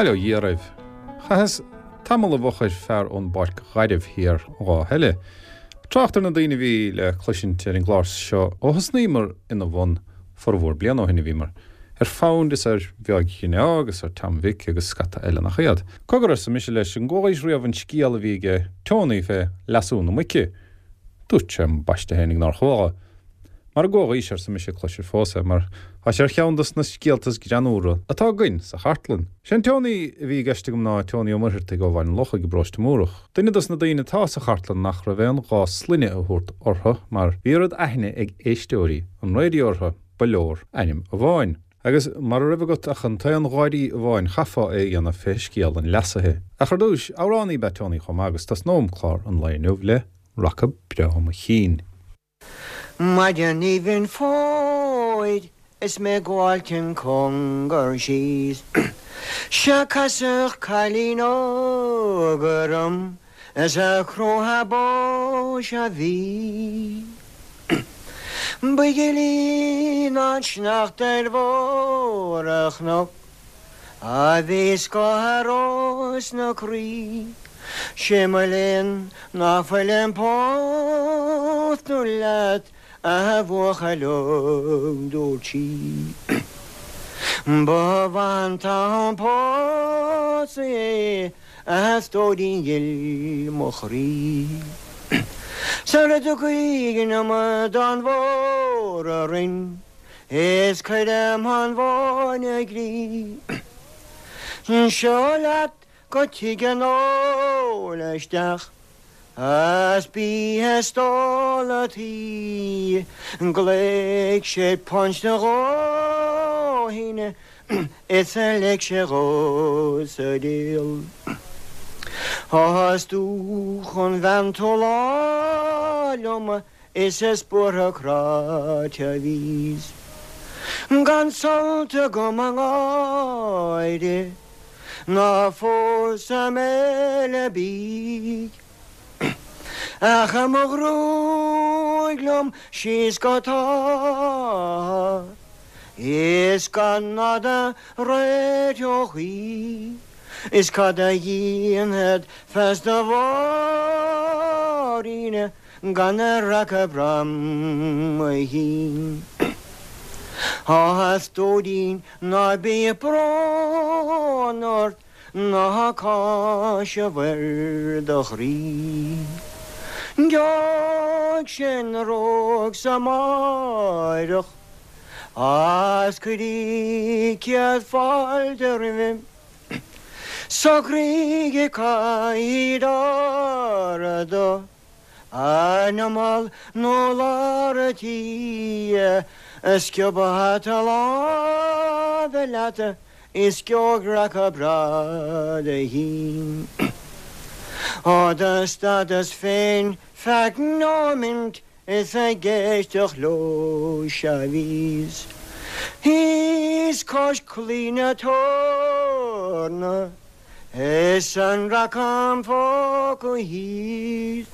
Bail ó Dhia oraibh. Chaitheas tamall i bhfochair fear ón bPáirc Ghairbh thiar an lá eile. Trácht ar na daoine a bhí le cloisint ar an gclár seo ó thosnaíomar ina bhun, formhór bliana ó shin a bhíomar, ar Found is ar Mheáig Ghrineá agus ar Tom Mhic agus scata eile nach iad. Cogar arsa mise leis, an gcualaís riamh an scéal a bhí aige Tony fé leasú na muice? Dúirt sé ambaiste fhéinig nár chuala. Mara gcualaís, arsa mise, cloisir fós é, mar tá sé ar cheann dos na scéalta is greannúra atá againn sa chartlann. Sé an Tony a bhí i gceist agam ná Tony Ó Muircheartaigh ó Bhaile an Lochaigh i bparóiste Múrach, duine dos na daoine atá sa chartlann nach raibh aon ghá sloinne a thabhairt orthu mar bhí oiread aithne ag éisteoirí an raidió orthu, ba leor ainm amháin. Agus mara raibh agat ach an t-aon gháirí amháin chaithfeá é a dhéanamh fé scéal an leasaithe. Ach ar dtúis, amhránaí ab ea Tony chomh maith agus tosnóm clár an lae inniu le Raca Breá Mo Chinn. Maidin aoibhinn fómhair is mé ag gabháilt an cóngar síos 'Sea casadh cailín óg orm is a crothadh bó 'sea bhí. Ba ghile ná an sneachta ar bharr an chnoic A bhí scáth ros na croí. 'Sé mo léan ná fuilim pósta leat a bhuachaill óg dúirt sí. Ba mhaith an t-am pósadh é a stóirín ghil mo chroí. Sara dtiocfaidh an amadán mhór orainn. Is cuirim an bhóinn i gcrích. Seo leat go tigh an óil isteach Is bí ag stól a' tí Ghlaoigh sé punch a dhóthain Is a lig sé dhó sa diabhal. Is dúch an bhean tú lá liom Is is buartha cráite a bhíos gan sult agam i ngáire ná fós i mbéile bídh ach i mo ghruaig liom síos go tátha is gan nada réiteodh í is cad a dhéanfad feasta a Mháirín Gan a raca breá mo chinn. Á a stóirín ná bíodh brón ort ná cáiseamh ar do chroí. Gheobhaidh sé na rógs amáireach A's cuirfidh céad fáilte roimhe. Socraigh caithfidh do An imeall nó lár an tí, sciob hata láimhe leat is gheobhaidh raca breá do chinn. Ó do stadas féin feadh nóimint is ag éisteacht leo sea bhíos thíos cois claí na Torna. Is an raca im phóca thíos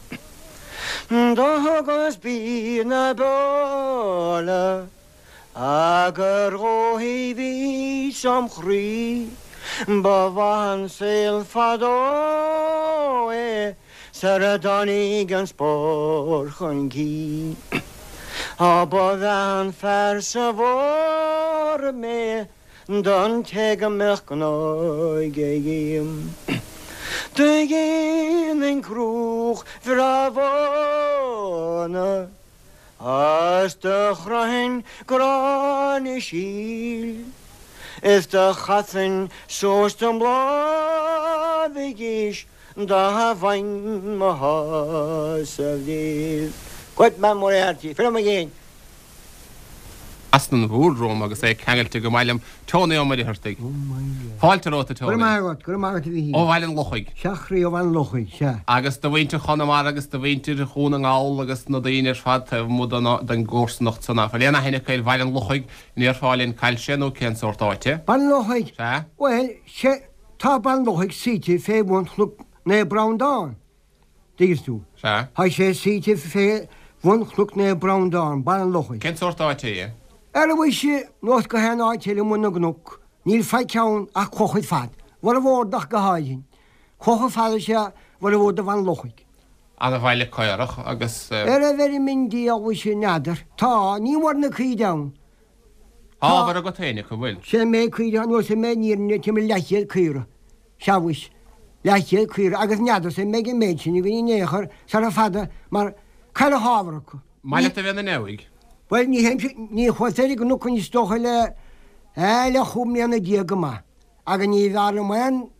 Do thugas bídh na beola Gur dhóigh bhíos im chroí Ba mhaith an saol fadó é Sar a dtáinig an spórt chun cinn Á ba mhaith an fear sa bhfómhar mé Don té go mbeadh gnó aige dhíom Do dhéanfainn cruach bhreá mhóna A's do chroithfinn gráinne síl Is do chasfainn suas dom lámhaigh is Dá bhfaighinn mo shásamh díobh. Good man Moriarty, fill him again. As an bhúr romham agus é ceangailte go maith liom, Tony Ó Muircheartaigh. Fáilte romhat, a Tony. Go raibh maith agat, go raibh maith agat a Mhíchíl. Ó Bhaile an Lochaigh. Sea, a chroí, ó Bhaile an Lochaigh, sea. Agus do mhuintir Chonamara agus do mhuintir Dhún na nGall agus na daoine ar fad taobh amuigh den gcomharsanacht san ná fuil aon aithne acu ar Bhaile an Lochaigh, an ndéarfá linn cá bhfuil sé nó cén sórt áite? Baile an Lochaigh? Sea. Bhuel, sea, tá Baile an Lochaigh suite fé bhun Chnoc Naomh Breandán. dtuigeann tú. Sea. Tá sé suite fé bhun Chnoc Naomh Breandán, Baile an Lochaigh. Cén sórt áite é? Ara mhuise, nós gach aon áit eile amuigh na gcnoc, níl faic ann ach clocha ar fad. bhformhór ach go háirithe. Chuaigh chomh fada is a bhformhór de Bhaile an Lochaigh. Ana-bhaile caorach agus. Ar a bhfeirm i ndiaidh mhuise n'fheadar. Tá, ní mór na caoirigh ann. Tá ábhar agat féin acu, bhfuil? Sé an méid caoirigh anuas an méid an fhírinne timpeall leathchéad caora. Sea mhuis, leathchéad caora agus n'fheadarsa an mbeidh an méid sin againn in aon chor sara fada mar cailleadh ábhar acu. Maith leat a bheith ina neabhaidh. Bhuel, ní théimse, ní chuas ar an gcnoc is dócha le, eh, le chúig mbliana déag go maith. Agus ní bhfearr liom aon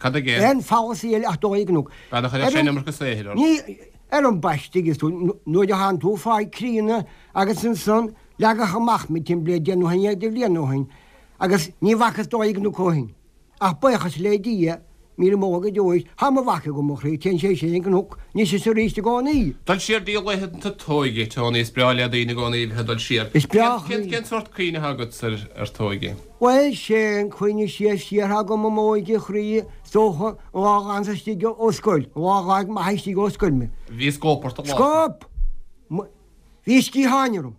Cad aige? aon pholasaí eile ach dul ar an gcnoc. Bean a chuirfeadh sé an iomarca saothair ort. Ní, ar an bpaiste agus tú, nuair a thánn tú fáil críonna agus ansan leagadh amach mé timpeall le deich nó 11 de bhliain ó shin agus ní bhfacas dul ar an gcnoc ó shin. Ach buíochas le Dia, míle moladh go deo é, tá mo mhac agam, a chroí, téann sé sin ar an gcnoc anois is arís i gcónaí. Dul siar dtí laethanta t'óige, Tony, is breá le daoine i gcónaí a bheith ag dul siar. Is breá, a chroí. Cén sórt cuimhne atá agat ar t'óige? Bhuel, sé an cuimhne siar siar atá agam i m'óige, a chroí, is dócha, an lá a dh'fhanas istigh ó scoil, an lá a dh'fhág m'athair istigh ó scoil mé. Bhí scóip ort an lá sin. Scóip! Bhí sciatháin orm.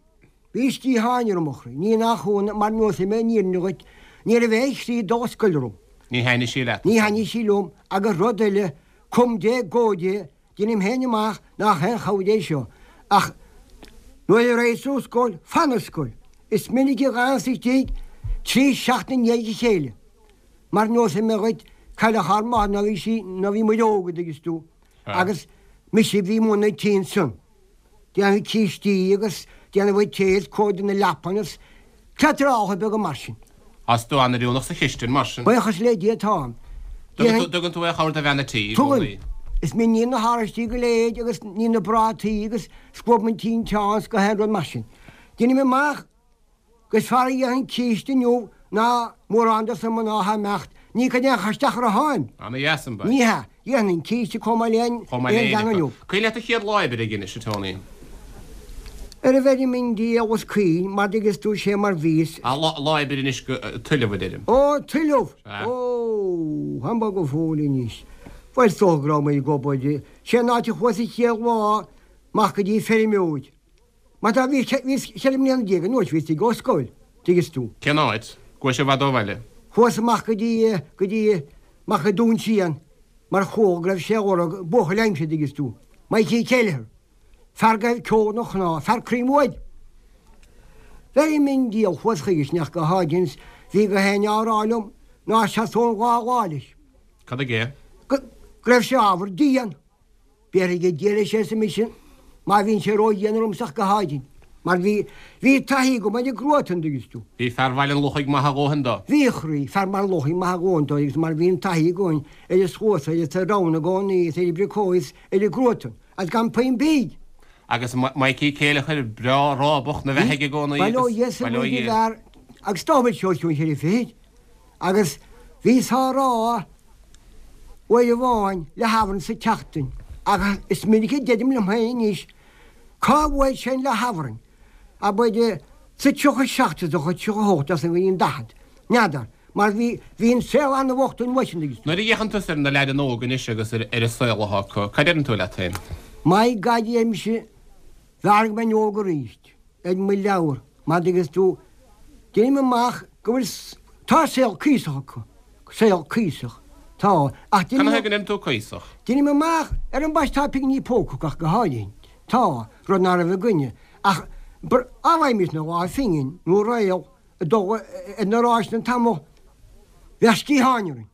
Bhí sciatháin orm, a chroí. Ní nach ionadh, mar neosfaidh mé an fhírinne dhuit, ní raibh aon chroí dul a scoil orm. Ní thaitnigh sí leat. Ní thaitnigh sí liom, agus rud eile, cum Dé go Dé, deinim féin amach nach aon chabhair é seo, ach nuair a raghaidh tú ar scoil, fan ar scoil. Is minic a dh'fhanas istigh trí seachtaine i ndiaidh a chéile. Mar neosfaidh mé dhuit, cailleadh ár máthair nuair a bhí sí, nuair a bhí muid óg, a dtuigeas tú, agus mise a bhí i mbun an tí ansan. Déanamh cístí agus déanamh an tae is cóiriú na leapan is cleatarálacha beaga mar sin. Tá tú an-oiriúnach sa chistin mar sin. Buíochas le Dia táim. Tugann tú aon chabhair do bhean a' tí i gcónaí? Tugaim. Is mé a níonn na haraistí go léir agus ním na prátaí agus scuabaim an tinteán is gach aon rud mar sin. Deinim amach Gur fearr a dhéanfainn císte inniu ná mórán dos na mná atá ag imeacht. Ní cuid aon chur isteach orthu tháim. Ana dheas an bail. Ní hea. Dhéanfainn císte chomh maith le aon Chomh maith le bhean éinne inniu. acu. Cuimhin leat do chéad lá oibre ag Inis, a Tony? Ar a bhfeirm i ndiaidh os coinn, mar dtuigeas tú sé mar bhíos. Ah, lá oibre anois go tuilleamh a deirim. Ó, tuilleamh! Sea. Ó, táim bog go fóill anois. Bhuel, is dócha go raibh mé ag obair. Sé an áit a chuas an chéad lá amach go dtí feirmeoir. Mar tá, bhíos 14 mbliana anuas, bhíos ag ó scoil, tuigeas tú. Cén áit? Go raibh sé i bhfad ó bhaile. Chuas amach go dtí, go dtí, amach go Dún Síon, mar chuala go raibh sé á lorg, buachaill aimsire, tuigeas tú. Mikey Kelleher. Fear go raibh ceol ina chnámha, fear croí uaidh. Bheirim i ndiaidh, chuas chuige sin ach go háirithe is bhí gach éinne á rá liom ná seasóinn dhá lá leis. Cad aige? Go raibh sé ábhar dian. Béarfaidh a Dia leis arsa mise, má bhíonn sé ró-dhian ormsa ach go háirithe, mar bhí, bhí taithí agam ar an gcruatan, an dtuigeas tú. Bhí fear Bhaile an Lochaigh maith a dhóthain dó. Bhí, a chroí, fear Bhaile an Lochaigh maith a dhóthain dó agus mar bhí an taithí againn ar an sluasaid is ar ann i gcónaí is ar an bpriocóg is ar an gcruatan, agus gan puinn bídh. Agus Mikey Céileachair breá rábach 'na bheathaidh i gcónaí Bail ó agus, Dhia sa bail ó bhfuil Dhia. bhfear agus dá bhfuil sé os cionn cheithre fichid. Agus bhíos á rá uair amháin le hAifreann sa tseachtain, ach is minic a deirim liom féin anois, cá bhfuair sé an leath-Aifrinn? Abair, sa 37 is dócha, 38 as an bhliain 40, n'fheadar, mar bhí, bhí an saol an-bhocht an uair sin agus. Nuair a fhéachann tusa ar na leaideanna óga anois agus ar an saol atá acu, cad deireann tú leat féin? My God, a deirimse, b'fhearr go mbeinn óg arís. ar mo leabhar, mar dtuigeas tú, deinim amach go bhfuil, tá saol cuíosach acu, saol cuíosach, tá, ach deinim. Canathaobh go ndeireann tú cuíosach? Deinim amach, ar an bpaiste tá pinginí póca acu ach go háirithe, tá, rud ná raibh againne, ach á bhfaighimísne dhá phingin nó réal ag dul ar na ráiseanna an t-am, bheadh sciatháin orainn.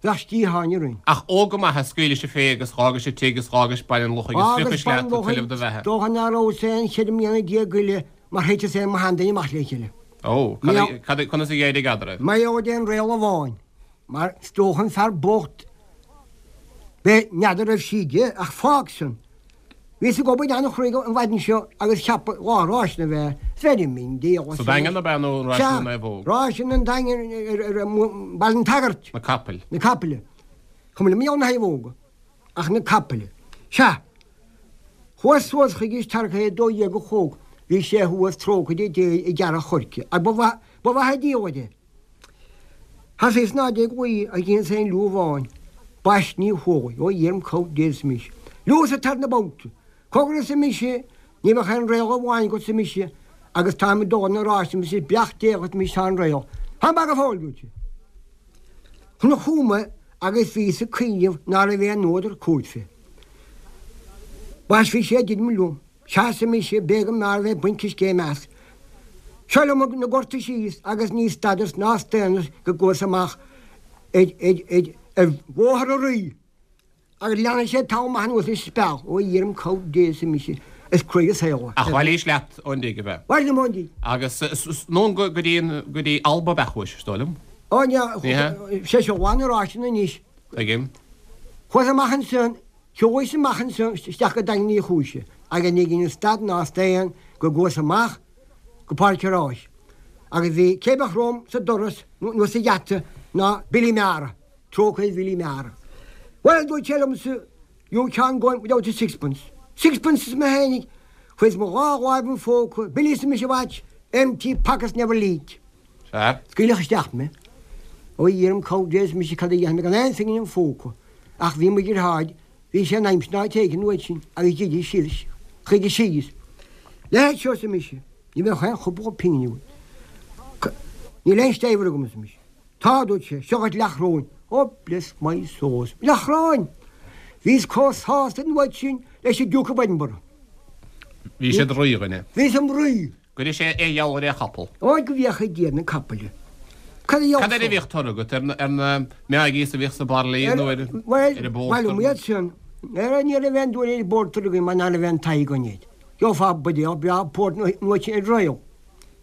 Bheadh sciatháin orainn. Ach óg go maith a scaoilis fé agus dh'fhágais an tigh is dh'fhágais Baile an Lochaigh is Fhágas phriocais Baile an leat ag Lochaigh, tuilleamh do bheatha. dócha ná rabhas aon cheithre mbliana déag goile mar thiteas ar mo sheanduine amach le chéile. Ó, cad é, conas a d'éirigh eadraibh? Mar gheall ar an réal amháin, mar is dócha an fear bocht, b'é, n'fheadar raibh sí aige, ach fág san. Bhíos ag obair an-chruaidh an mhaidin seo agus cheapadh lá ráiseanna a bheith bheirim i ndiaidh Sa Daingean ab ea nó an Sea, ráiseanna Naomhóg? ráiseanna an Daingin ar Bhaile an tSagairt. Na capaill. Na capaill. Cuma liom na naomhóga ach na capaill. Sea. Chuas suas chuige is tarrtha é 12 a chlog. Bhí sé thuas trócaire Dé ag gearradh choirce. Ach ba mhaith, ba mhaith an diabhal é. Thosaíos ná ag luí ach dheineas aon liú amháin. Baist ní chualaidh, ó Dhia orm cabhair Dé arsa mise. Liú sa tarna babhta. Cogar arsa mise, ní bheadh aon réal amháin agat arsa mise, agus táim ag dul ar na rásaí arsa mise beannacht Dé dhuit mise tá an réal. Táim bog go fóill, dúirt sé. Chonac chugam é agus bhíos ag cuimhneamh ná raibh aon fhuadar cúirt fé. Bhaisfeadh sé deirim liom, sea arsa mise, b'é go mb'fhearr bheith ag baint coiscéim as. Seo liom na gorta síos agus ní stadas ná staonas go gcuas amach ar Bhóthar an Rí. Agus leanfaidh sé tamall maith anuas leis an speal. Ó a Dhia orm cabhair Dé arsa mise, is cruaidh an saol é. Ach bhailís leat ón dtigh, ab ea? Bhailigh liom ón dtigh. Agus anonn go dtí an, go dtí Alba ab ea chuais, is dóigh liom? Ó ní hea, sé seo bhain na ráiseanna anois. Tuigim. Chuas amach ansan, shiúlais amach ansan isteach go Daingean Uí Chúise agus ní dheineas stad ná staon go gcuas amach go Páirc an Ráis. Agus bhí, cé bheadh romham sa doras nó sa gheata ná Billy Meara. Trócaire ar Bhilly Meara. Bhuel, dúirt sé liomsa, you can't go in without a sixpence. Sixpence arsa mé fhéinig. Chuireas mo dhá láimh im phóca, Billy arsa mise watch, empty pockets never leak. Sea. Scaoileadh isteach mé. Ó a Dhia orm cabhair Dé arsa mise cad a dhéanfaidh mé gan aon phingin im phóca. Ach bhí mo dheartháir, bhí sé in aimsir an áit éigin uait sin agus d'imigh síos chuige síos. Leithéid seo arsa mise, ní bheadh aon chúpla pingin uait. Níl aon staighre agam arsa mise. Tá, a dúirt sé, seo dhuit leathchróin. Oh, bless my soul. Leathchróin! Bhíos comh sásta an uair sin leis an Duke of Edinburgh. Bhí sé i do rídhuine. Bhíos im rí. Go raibh sé ar gheall ar aon chapall. Ó, go bhféacha Dia ar na capaill. Cad a Cad air a bhíodh toradh agat? Ar na Maggies a bhíodh sa bpairlí nó ar an bpórtar? Bhuel, bhuel, iad sin. Ní raibh aon dúil ar an bpórtar againn mar ná raibh aon taithí againn air. Gheofá buidéal breá port nó ar royal.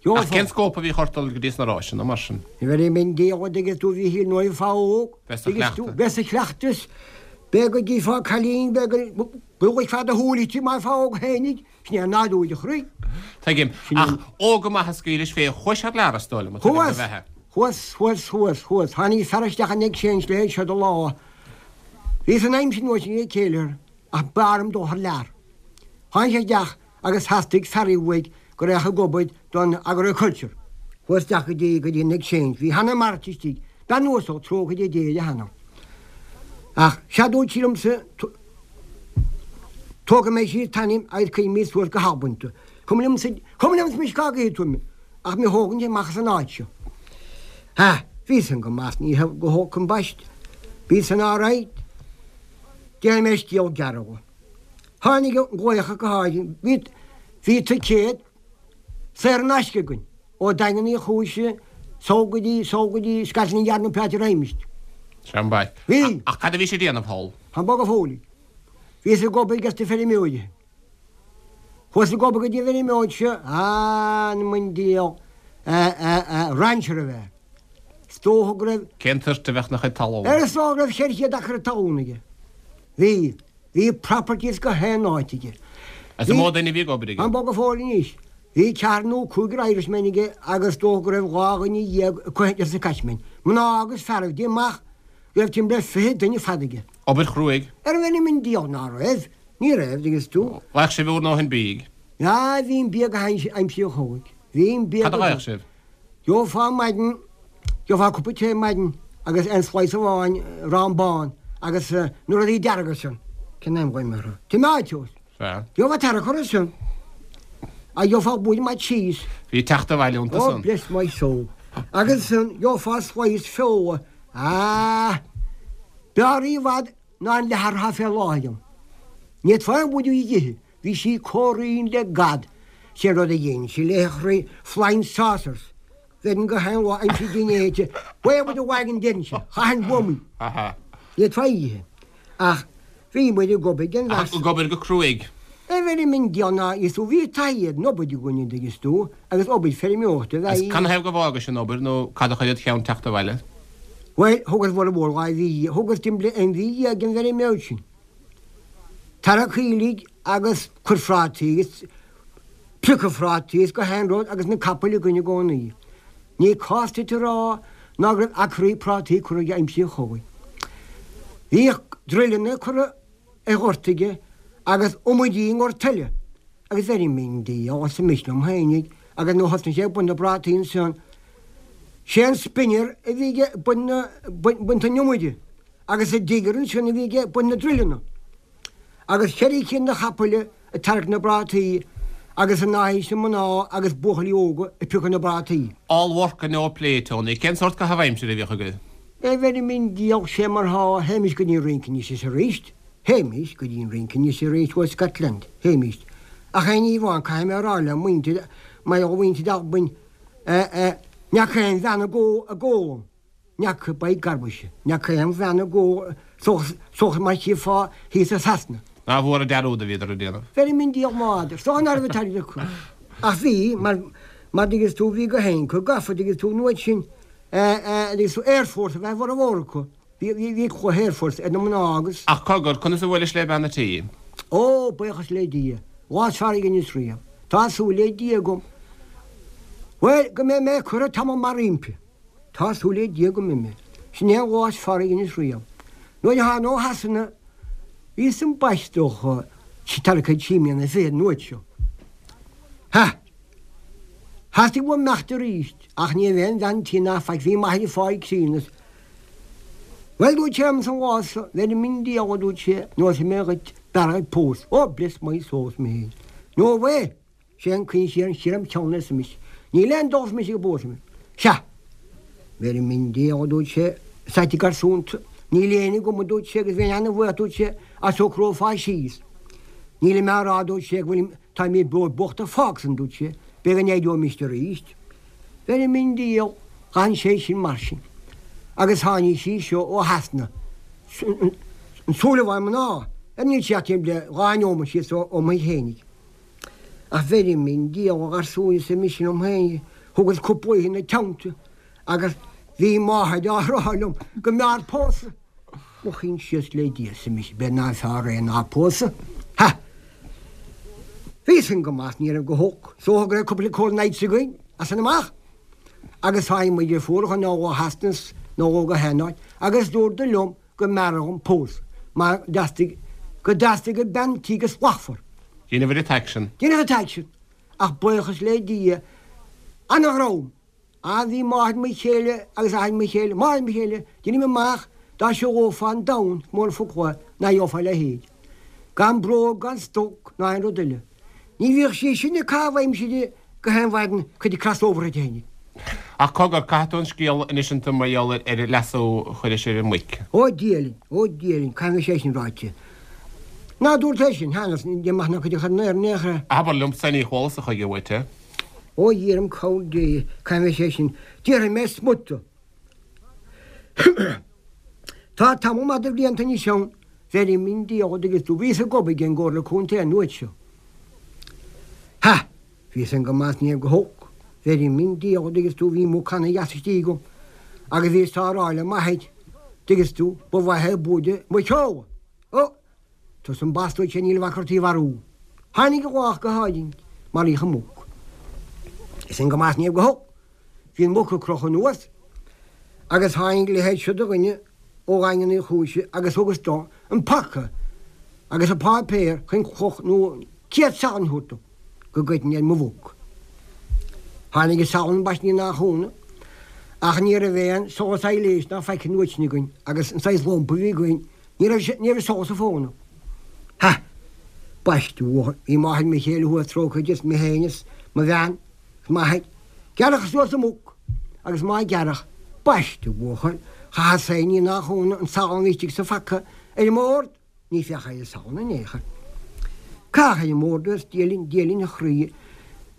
Ach cén scóip a bhíodh ort dul go dtí sna ráiseanna, mar sin? Bheir mé diabhal an dtuigeann tú, a Mhíchíl, nuair a bheifeá óg, Bheith sa dtuigeann tú, chleachtadh. bheith sa chleachtas, b'fhéidir go gcífeá cailín, b'fhéidir go bhfeicfeá do shúil inti mar bheifeá óg fhéinig, sin é nádúr an chroí. Tuigim. Sin é. Ach óg go maith a scaoilis fé, chuais thar lear, is dóigh liom, tuigim do Chuas! bheatha. Chuas, chuas, chuas, chuas. Tháinig fear isteach an Exchange léi seo de lá. Bhíos in aimsir nua sin ag céilithe, ach b'fhearr liom dul thar lear. Tháinig sé isteach agus theastaigh fear uaidh go raghadh ag obair don agriculture. Chuas isteach go dtí go dtí an exchange. Bhí Hannah March istigh. Bean uasal, trócaire ar Dé uirthi Hannah. Ach sea dúirt sí liomsa tógfaidh mé síos t'ainm agus cuirfidh mé suas go hAlbain tú. Cuma liomsa, cuma liomsa mise cá gcuirfidh tú mé, ach mé thógaint amach as an áit seo. Ha, bhí san go maith, ní go holc ambaist. Bhí san alright. Déanfaidh mé scéal gearr dhe. Tháinig an glaoch go háirithe. Bhí, bhí ticéad saor in aisce againn ó Daingean Uí Chúise sall go dtí, sall go dtí Scotland Yard nó pé áit a raghaimist. Sea, mhaith. Bhí. Ach cad a bhís ag déanamh thall? Fan bog go fóill. Bhíos ag obair ag na feirmeoirí. Chuas ag obair go dtí an bhfeirmeoir seo, anam an diabhail, rancher ab ea. Is dócha go raibh. Cén toirt a bheadh ina chuid talún? Is dócha go raibh 400 acra talún aige. Bhí. Bhí properties gach aon áit aige. Is an mó duine a bhí ag obair aige? Fan bog go fóill anois. Bhí ceathrar nó cúigear Irishmen aige agus is dócha go raibh 12 dhuine acu ar sa catchment. Mná agus fearaibh. Déan amach go raibh timpeall ar 20 duine fad aige. Obair chruaidh. Ar an bhfeirm an diabhal ná raibh. Ní raibh, dtuigeann tú. Bhfaigheadh sibh bhur ndóthain bídh? Ah, bhí an bia go haimsir an chogaidh. Bhí an bia Cad a go. bhfaigheadh sibh? Gheofá maidin, gheofá cupa tae maidin agus aon slice amháin arán bán agus na rudaí dearga san, cén ainm a ghlaoim orthu? Tomatoes. Sea. Gheofá tarrac orthu san agus gheofá buidéal maith cheese. Bhí teacht abhaile iontu Oh, san. bless my soul. Agus san gheofá slice feola. Ah! B'fhearr í i bhfad ná an leathar atá fé láthair ann. Ní fhéadfá aon bhuidéal a dh'ithe. Bhí sí comh righin le gad. Sé an rud a dhein sí léi a chroí, flying saucers. Bheinn gach aon lá aimsir dinnéir, away with the wagon deinnse, chaithfinn buamaí. Ní fhéadfá í a ithe. Ach bhí muid ag obair den Ach ag obair go cruaidh. A bheirim an diabhal ná is tú bhí taithí ar an obair againn an dtuigeann tú agus obair feirmeoireachta a Agus bheith. canathaobh go bhfágais an obair nó cad a chuir id cheann teacht abhaile? Bhuel, thugas bhur mhór dhá mhí, thugas timpeall aon mhí dhéag den bhfeirmeoir sin. Tarrac aoiligh agus cur phrátaí agus priocadh phrátaí is gach aon rud agus na capaill againn i gcónaí. Ní cás duit a rá ná go raibh acraí prátaí curtha aige aimsir an chogaidh. Bhíodh druileanna curtha ar ghort aige agus iomaidí i ngort eile agus bheirim i ndiaidh arsa mise liom fhéinig agus nuair thosnaigh sé ag baint na bprátaí ansan sé an spinner a bhí aige ag baint an iomaide. Agus an digger ansin a bhí aige ag baint na druileanna. Agus cheithre cinn de chapaill ag tarrac na bprátaí agus ina aghaidh sin mná agus buachaillí óga ag piocadh na bprátaí. All work and no play, Tony. Cén sórt caitheamh aimsire a bhíodh agaibh? Eh bheirim i ndiaidh sé mar thá, théimis go dtí an rince anois is aríst, théimis go dtí an rince anois arís ó Scotland, théimis. Ach aon ní amháin, caithfidh mé a rá le muintir, mar gheall ar mhuintir Albain, eh, eh, ní fhaca aon bhean ag ól, ag ól, ní fhaca, by garbage, ní fhaca aon bhean ag ól suas mar chífeá thíos i Sasana. Nár mhór an dearúd a bhíodar ag déanamh. Bheirim i ndiaidh m'fhada, is dócha ná raibh an t-airgead acu. Ach bhí, mar, mar dtuigeanns tú, bhí gach éinne acu gafa, dtuigeanns tú, an uair sin, agus Airforce a bheith a bhformhór acu. Bhí cluiche Airforce ar na mná agus. Ach cogar, conas a bhuailis le bean a' tí? Ó, buíochas le Dia, lá is fearr a dheineas riamh. Tá súil le Dia agam, bhuel, go mbeidh mé curtha tamall maith roimpi. Tá súil le Dia go mbeidh mé. Sin é an lá is fearr a dheineas riamh. Nuair a thána ó Shasana, bhíos ambaist dócha, tarraicthe trí mbliana fichead an uair seo. Ha! Theastaigh uaim imeacht arís, ach ní raibh aon bhean tí ná faic, bhí m'athair ag fáil críonna. Bhuel, dúirt sé liom an lá so, bheirim i ndiaidh, a dúirt sé, neosfaidh mé dhuit, b'fhearr dhuit pósadh. Oh, bless my soul, arsa mé féin. No way! Sé an caoin siar siar im cheann arsa mise. Níl aon dul arsa mise go bpósfaidh mé. Sea! Bheirim i ndiaidh, a dúirt sé, sáite garsúnta. Níl éinne agam, a dúirt sé, agus bheinn ana-bhuíoch, a dúirt sé, dá socrófá síos. Nílim á rá, a dúirt sé, go bhfuilim Táimid beo bocht ach fág san, dúirt sé, b'fhéidir go n-éireoimist arís. Bheirim i ndiaidh, d'fhan sé sin mar sin. Agus tháinig sí seo ó Shasana, an Súilleabháin mná, ar níl sí ach timpeall le dha neomat síos ó mo thigh fhéinig. Ach bheirim i ndiaidh, a gharsúin, arsa mise liom féin, thugas cúpla oíche ina teannta agus bhí máthair á rá liom go mb'fhearr pósadh. Mo choinsias le Dia, arsa mise, b'fhéidir nárbh fhearr é ná pósadh. Ha! Bhí san go maith, ní raibh go holc. Is dócha go raibh cúpla cold nights againn, as san amach. Agus tháinig mo dheirfiúracha nó ó Shasana nó ó gach aon áit, agus dúradar liom go mb'fhearr dhom pósadh, mar dteastaigh, go dteastaigh an bean tí go slachtmhar. Dheineabhair an t-aicsean. Dheineas an t-aicsean. Ach buíochas le Dia, ana-dhream. Ah bhí máthair mo chéile agus athair mo chéile, máthair mo chéile, deinim amach dá siúlófá an domhan, is mór an focal é, ná gheofá a leithéid. Gan bróg gan stoc ná aon rud eile. Ní bhíodh sí sin ag caitheamh aimsire gach aon mhaidin cuid crossover uirthi fhéinig. Ach cogar, caithfidh tú an scéal a insint dom mar gheall ar an leasú a chuiris ar an muic. Ó Dia linn, ó Dia linn, caithfidh sé sin ráite. Ná dúirt é sin, cheana, ní maith ná cuid a chur in aer in aon chor. Abair liomsa, ní chualas-sa chuige uait é. Ó Dhia orm cabhair Dé, caithfidh sé sin, déarfaidh mé smut. Tá tamall maith de bhlianta anois ann, bheirim i ndiaidh, an dtuigeann tú, bhíos ag obair ag an gComhairle Contae an uair seo. Ha! Bhí san go maith 's ní raibh go holc. Bheirim i ndiaidh, an dtuigeann tú, bhí muc ana-dheas istigh agam agus bhíos á rá le m'athair, dtuigeann tú, ba mhaith é buaide muiceola. Ó! Tusa ambaist a dúirt sé níl a bhac ort í a mharú. Tháinig an lá go háirithe, maraíodh an mhuc. Bhí san go maith 's ní raibh go holc. Bhí an mhuc ag crochadh anuas agus tháinig a leithéid seo de dhuine ó Dhaingean Uí Chúise agus thugas dó an paca agus an páipéar chun cloch nó céad salann a thabhairt dom go gcuirfinn ar mo mhuc. Tháinig an salann ambaist ní nach ionadh ach ní raibh aon solas aibhléis ná faic an uair sin againn agus an saghas lampa a bhí againn Ní raibh sé, ní raibh solas sa bhfóna. Ha! Baiste uathu. Bhí máthair mo chéile thuas trócaire di is mé féin is mo bhean is m'athair. Gearradh suas an mhuc agus má gearradh, baiste uathu. Chaitheas féin ní nach ionadh an salann a bhí istigh sa phaca ar an mbord. Ní féachadh ar an salann in aon chor. Caitheadh ar an mbord é is Dia linn, Dia linn a chroí.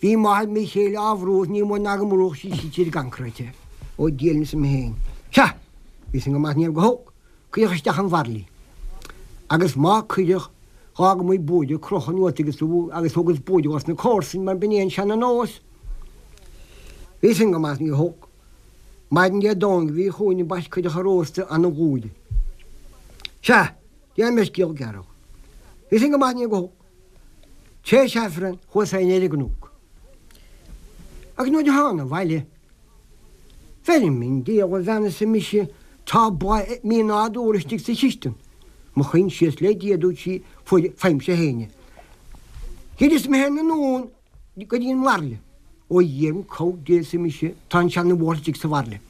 Bhí máthair mo chéile á bhrú is ní mó ná go mbrúdh sí sí ar an gconcrete é. Ó Dia linn arsa mé féin. Sea! Bhí san go maith ní raibh go holc. Cuireadh isteach an bhairille. Agus má cuireadh, dh'fhág muid buaidh ag crochadh anuas agus agus thugas buaidh dos na comharsain mar b'in é an seana nós. Bhí sin go maith ní holc. Maidin Dé Domhnaigh a bhí chugainn ambaist cuireadh an rósta ana bhuaidh. Sea, déanfaidh mé scéal gearr. Bhí sin go maith ní go holc. Tréis Aifreann chuas féin ar an gcnoc. Agus nuair a thána abhaile, Bheirim i ndiaidh a bhean arsa mise, tá boladh mí-nádúrtha istigh sa chistin. Mo choinsias le Dia, a dúirt sí, fuair, faighimse féin é. Dhruideas mé féin anonn go dtí an bhairille. Ó Dhia orm cabhair Dé, arsa mise, tá an seana-bhuachaill istigh sa bhairille.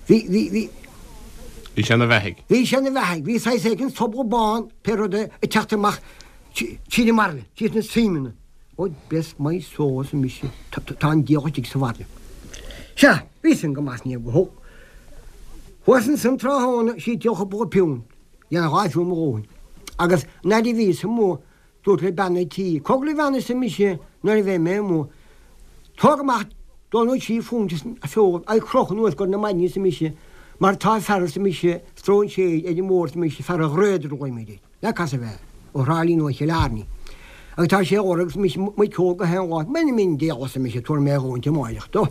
Bhí, bhí, bhí. Bhí sé ina bheathaidh. Bhí sé ina bheathaidh. Bhí saghas éigin sobal bán, pé rud é, ag teacht amach tríd an mbairille, tríd na suimeanna. Ó bless my soul, arsa mise, tá an diabhal istigh sa bhairille. Sea, bhí sin go maith, ní raibh go holc. Thuas ansan tráthnóna sí ag díol cúpla piúnt, dhéanfadh 2 phiúnt mo dhóthain. Agus an fhaid a bhíos amuigh, dúrt le bean an tí, Cogar a bhean arsa mise nuair a bheidh mé amuigh, tóg amach dó nó 3 phunt as an bhfeoil agus croch anuas i gcomhair na maidine arsa mise, mar tá fear arsa mise, stróinséir ar an mbóthar arsa mise, fear an ghraodair a ghlaoimid air. N'fheadar cá as a bheith, ó Thrá Lí nó ó Chill Airne. Agus tá sé ag lorg arsa mise muiceog gach aon lá, m'anam i nDia arsa mise, tabharfaidh mé a dhóthain amáireach dó.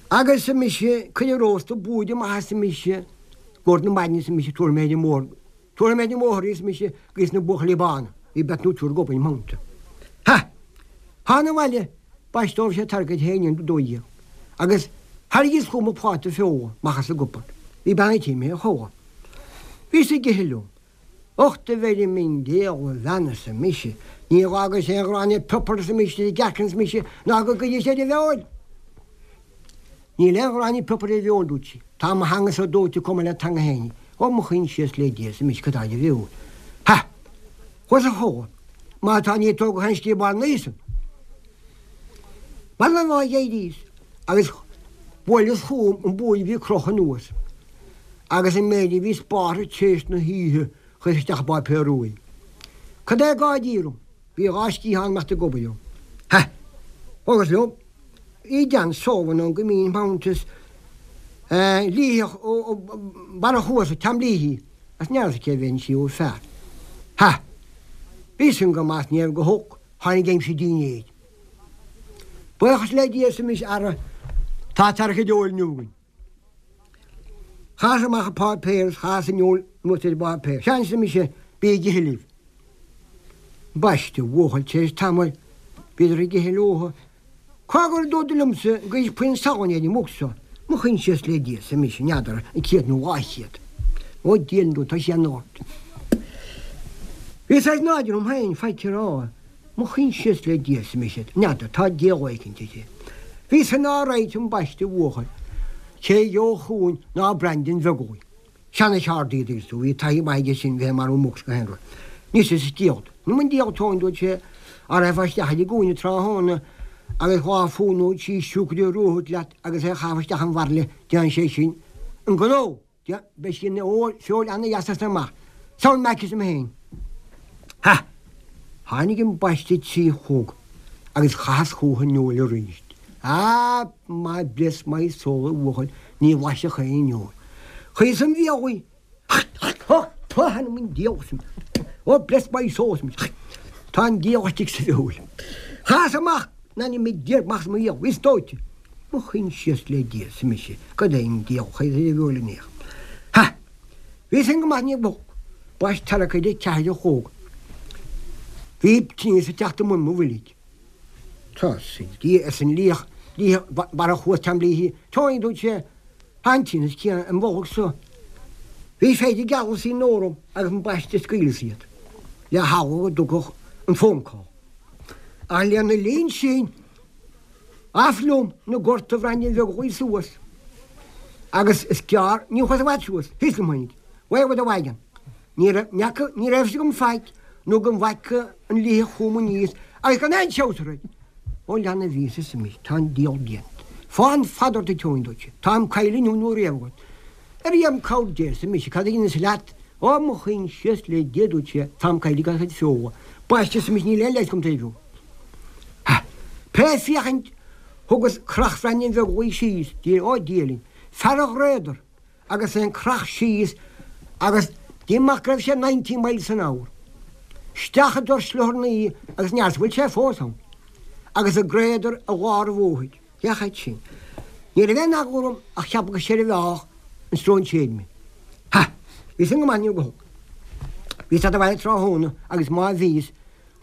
Agus arsa mise, cuir an rósta buaidh amach arsa mise, i gcomhair na maidine arsa mise, tabharfaidh mé ar an mbóthar, tabharfaidh mé ar an mbóthar í arsa mise, go na buachaillí bána, bhí beirt nó triúr ag obair im theannta. Ha! Thána abhaile, baiste ó bhí sé tarraingthe féin in 12. Agus thairrigíos chugam an pláta feola amach as an gcupard. Bhí bean an tí imithe a chodladh. Bhíos ag ithe liom. Ucht a bheirim i nDia a bhean arsa mise, ní dh'fhágas aon ghráinne piopair arsa mise ar an gcearc arsa mise ná go gcuiris ar an bhfeoil. Níl aon ghráinne piopair ar an bhfeoil dúirt sí. Tá mo theanga-sa dóite chomh maith le teanga Shéainí. Ó mo choinsias le Dia arsa mise cad tá ar an bhfeoil. Ha! Chuas a chodladh. Má tá ní tógadh aon scríobán níos. B'fhada an lá d'éiríos agus bhuaileas chugam an buaidh a bhí crochta anuas agus an méid a bhí spártha tar éis na hoíche chuireas isteach i bpáipéar rua í. Cad é gá d'iarraidh? Bhí 2 sciathán imeacht ag obair liom. Ha! Thugas liom. Bhí Dan Sullivan ann go mín Mountess liathach ó barra chuasa Tom Leahy as n'fheadar cé bheinn sí ó fear. Ha! Bhí san go maith ní raibh go holc, tháinig aimsir dinnéir. Buíochas le Dia arsa mise ara tá tarrac óil inniu againn. Chaitheas amach an páipéar is chaitheas an fheoil anuas ar an bpáipéar. Sea arsa mise, bí ag ithe libh. Baiste, a bhuachaill, tar éis tamaill bhíodar ag ithe leotha. Cogar a dúradar liomsa an gcuirfeadh puinn salainn ar an muc seo. Mo choinsias le Dia, arsa mise, n'fheadar, an céad nó 200. Ó Dia ndú, tá sé an-ard. Bhí saghas náire orm féin, faic a rá. Mo choinsias le Dia, arsa mise, n'fheadar, tá diabhal éicint uirthi. Bhí san á ráit ambaiste a bhuachaill, cé a gheobhadh chugainn ná Brandon Bheaglaoich. Seana-cheardaí a dtuigeann tú, bhí taithí maith aige sin bheith ag marú muc 's gach aon rud. Anois arsa diabhal, nó an diabhal tóin, dúirt sé, á raghfá isteach ar an gcúinne tráthnóna agus 2 phunt nó 3 siúcra a thabhairt leat agus é a chaitheamh isteach im bhairille, déanfaidh sé sin an gnó. Dia, beidh sí ina feoil ana-dheas as san amach. Sound mac arsa mé féin. Ha! Tháinig ambaiste 3 a chlog agus chaitheas chúthu an fheoil arís. Ah, my bless my soul a bhuachaill, ní bhlaisfeadh aon fheoil. Chuireas im bhéal í. Ha! Tá an diabhal san. Oh, bless my soul arsa mise. Tá an diabhal istigh sa bhfeoil. Chaitheas amach, in ainm Dé, amach as mo bhéal, bhíos dóite. Mo choinsias le Dia, arsa mise, cad é an diabhal a chuir ar an bhfeoil in aon. Ha! Bhí san go maith ní ba olc. B'as tarrac ar a 4 a chlog. Bhí tinneas ag teacht i mbun mo bhoilg. Tá sa Dia, arsa an liach, liath barra thuas Tom Leahy. Tony, dúirt sé, tá an tinneas céanna im bholg so. Bhí feide gealasaí in orm agus ambaiste scaoileas iad le heagla go dtiocfadh an phone call. Ach lena linn sin, Off liom 'na gort a Bhraindean Bheaglaoich suas agus is gearr, ní chuas i bhfad suas, thíos liom tháinig, away with the wagon. Ní raibh, n'fheaca, ní raibh fhios agam faic nó go bhfaca an liathach chugam aníos agus gan aon treabhsar air. Ó lean a bhíos arsa mise, tá an diabhal déanta. Fán fada ort a Tony, dúirt sé, tá an coill inniu nó riamh agat. Ar am cabhair Dé, arsa mise, cad a dheineas leat? Ó, mo choinsias le Dia, dúirt sé, táim caillte gan chuid feola. Baiste, arsa mise, níl aon leigheas agam taobh liom. Ha! Pé féachaint thugas creach Bhraindean Bheaglaoich síos, Dia, ó Dia linn, fear an ghraodair agus é an creach síos agus d'imigh go raibh sé 90 miles an hour. Isteach i dtor sliothar agus n'fheadar bhfuil sé fós ann. Agus an graothar i lár an bhóthair. Féach air sin. Ní raibh aon eagla orm ach cheapadh go seirbheálfadh an stróinséir mé. Ha! Bhí san go maith ní go holc. Bhíos ag teacht abhaile tráthnóna agus má bhíos,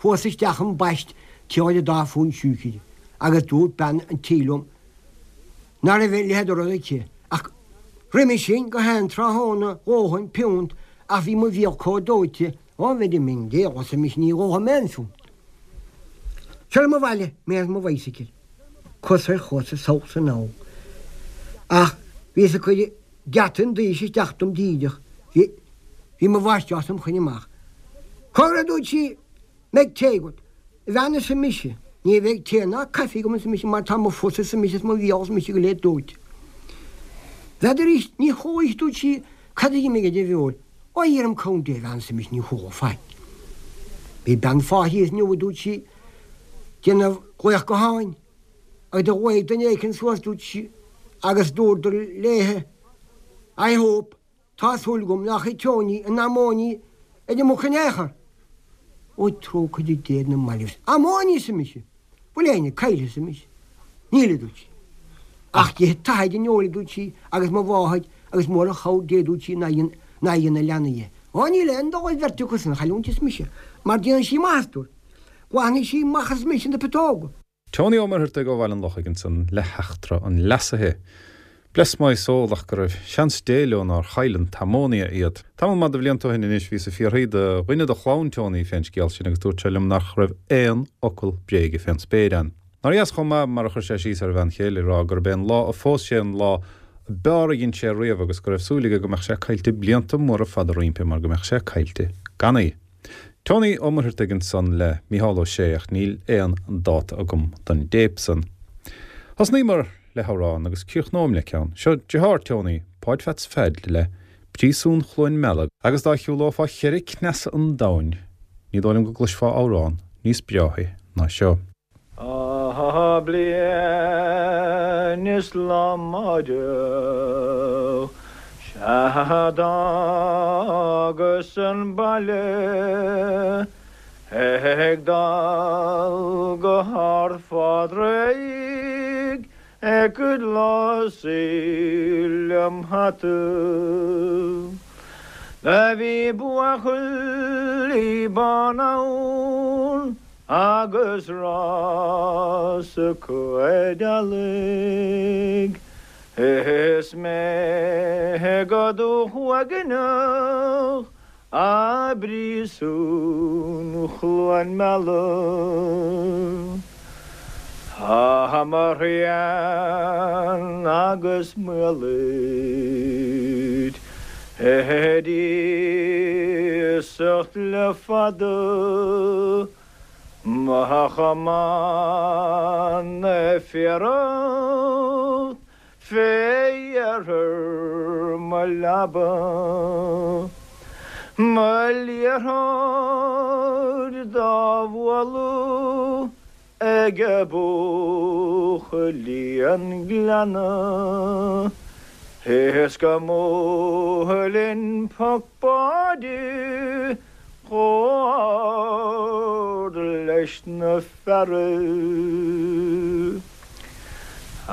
fuarthas isteach ambaist triail an dá phunt siúicre agus dúirt bean an tí liom ná raibh a leithéid de rud aici ach roimhe sin go haon tráthnóna dhóthain piúnt ach bhí mo bhéal comh dóite ó bheirim i nDia arsa mise ní ólfaidh mé aon phiúnt. Seo liom abhaile mé ar mo bhicycle, cos ar chos is sall 's anall. Ach bhíos ag cur geata an dorais isteach dom díreach, bhí, bhí mo mháistreás im choinne amach. Cogar a dúirt sí, mbeidh tae agat? A bhean arsa mise, ní bheidh tae ná caife agam arsa mise mar tá mo phus arsa mise is mo bhéal arsa mise go léir dóite. N'fheadar arís, ní chuala, dúirt sí, cad a d'imigh de bhfeoil. Ó iarraim cúnamh Dé, a bhean, arsa mise, ní chuala faic. Bhí bean fáithi thíos inniu, a dúirt sí, déanamh glaoch gutháin, agus do ghlaoigh duine éicint suas, dúirt sí, agus dúradar léithe, I hope, Tá súil agam nach é Tony an ammonia ar an muc in aon chor. Ó trócaire Dé ar na mallaibh. Ammonia, arsa mise. Bhfuil éinne caillte, arsa mise. Níl, a dúirt sí. Ach d'ith t'athair an fheoil, a dúirt sí, agus mo mháthair agus mór an chabhair Dé, a dúirt sí, nár dhein na leanaí é. Ó níl aon dul ar bheirt acu san a chailliúint, arsa mise, mar déanann sí maitheas dúirt. Glanfaidh sí amach, arsa mise, na putóga. Tony Ó Muircheartaigh ó Bhaile an Lochaigh ansan le heachtra an leasaithe. Bless my soul ach go raibh seans Dé leo nár chaill an t-ammonia iad. Tamall maith de bhlianta ó shin anois bhíos ag fiafraí de dhuine de chlann Tony fén scéal sin agus dúirt sé liom nach raibh aon fhocal bréige fén spéir ann. Nár dheas chomh maith mar a chuir sé síos ar a bhean chéile ag rá gurb é an lá a phós sé an lá a b'fhearr a dhein sé riamh agus go raibh súil aige go mbeadh sé caillte blianta móra fada roimpi mar go mbeadh sé caillte gan í. Tony Ó Muircheartaigh ansan le Mícheál Ó Sé ach níl aon dáta agam don dtéip san. Thosnaíomar le hamhrán agus críochnóim le ceann. Seo deartháir Tony, Páid Pheats Pheaid le Príosún Chluain Meala agus dá shiúlófá cheithre cneasa an domhain ní dóigh liom go gcloisfeá amhrán níos breáthaí ná seo. Bliain is lá amárach sea d'fhágas an baile ag dul go hArd Phádraig ag lasadh lem hata. Do bhí buachaillí ban ann Agus rás acu ar eallaigh is mé go dúshuaimhneach i bpríosún Chluain Meala. Tá mo thrian agus m'uallaid ar iasacht le fada. Mo chamán ag fearacht fé iarthar mo leaba, Mo liathróid dá bhualadh ag buachaillí an ghleanna, Is go mbuailfinn poc báide chomh hard leis na fearaibh. A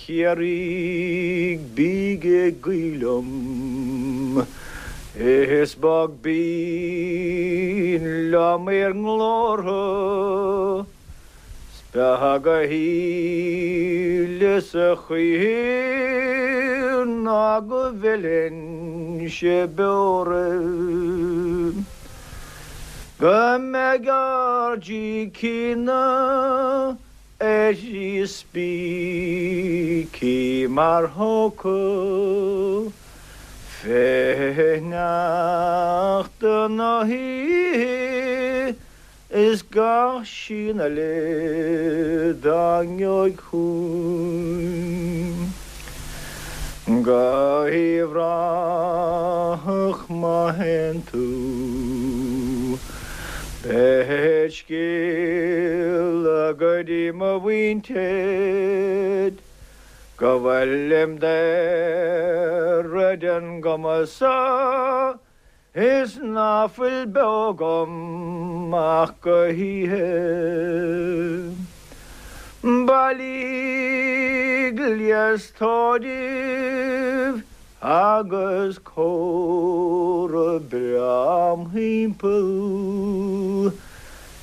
Chiarraígh bíg ag guí liom, Is bog binn liom bhur nglórtha, 'S beag a shíleas a choíche ná go bhfillfinnse beo oraibh. Go mbeidh ár gcícínna ar thrí spící mar phóca fé shneachta na hoíche Is gach síon eile dá ngeobhaidh chugainn go hUíbh Ráthach má théann tú, beir scéala go dtí mo mhuintir go bhfuilim daortha den gcuma so. Is ná fuil beo agam ach go hoíche. Bailíodh gléas tórraimh agus cófra breá im thimpeall.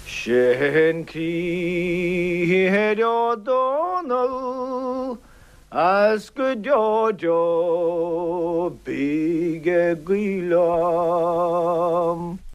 Sin Criomhthain Ó Dónaill As go deo deo bíg ag guí liom.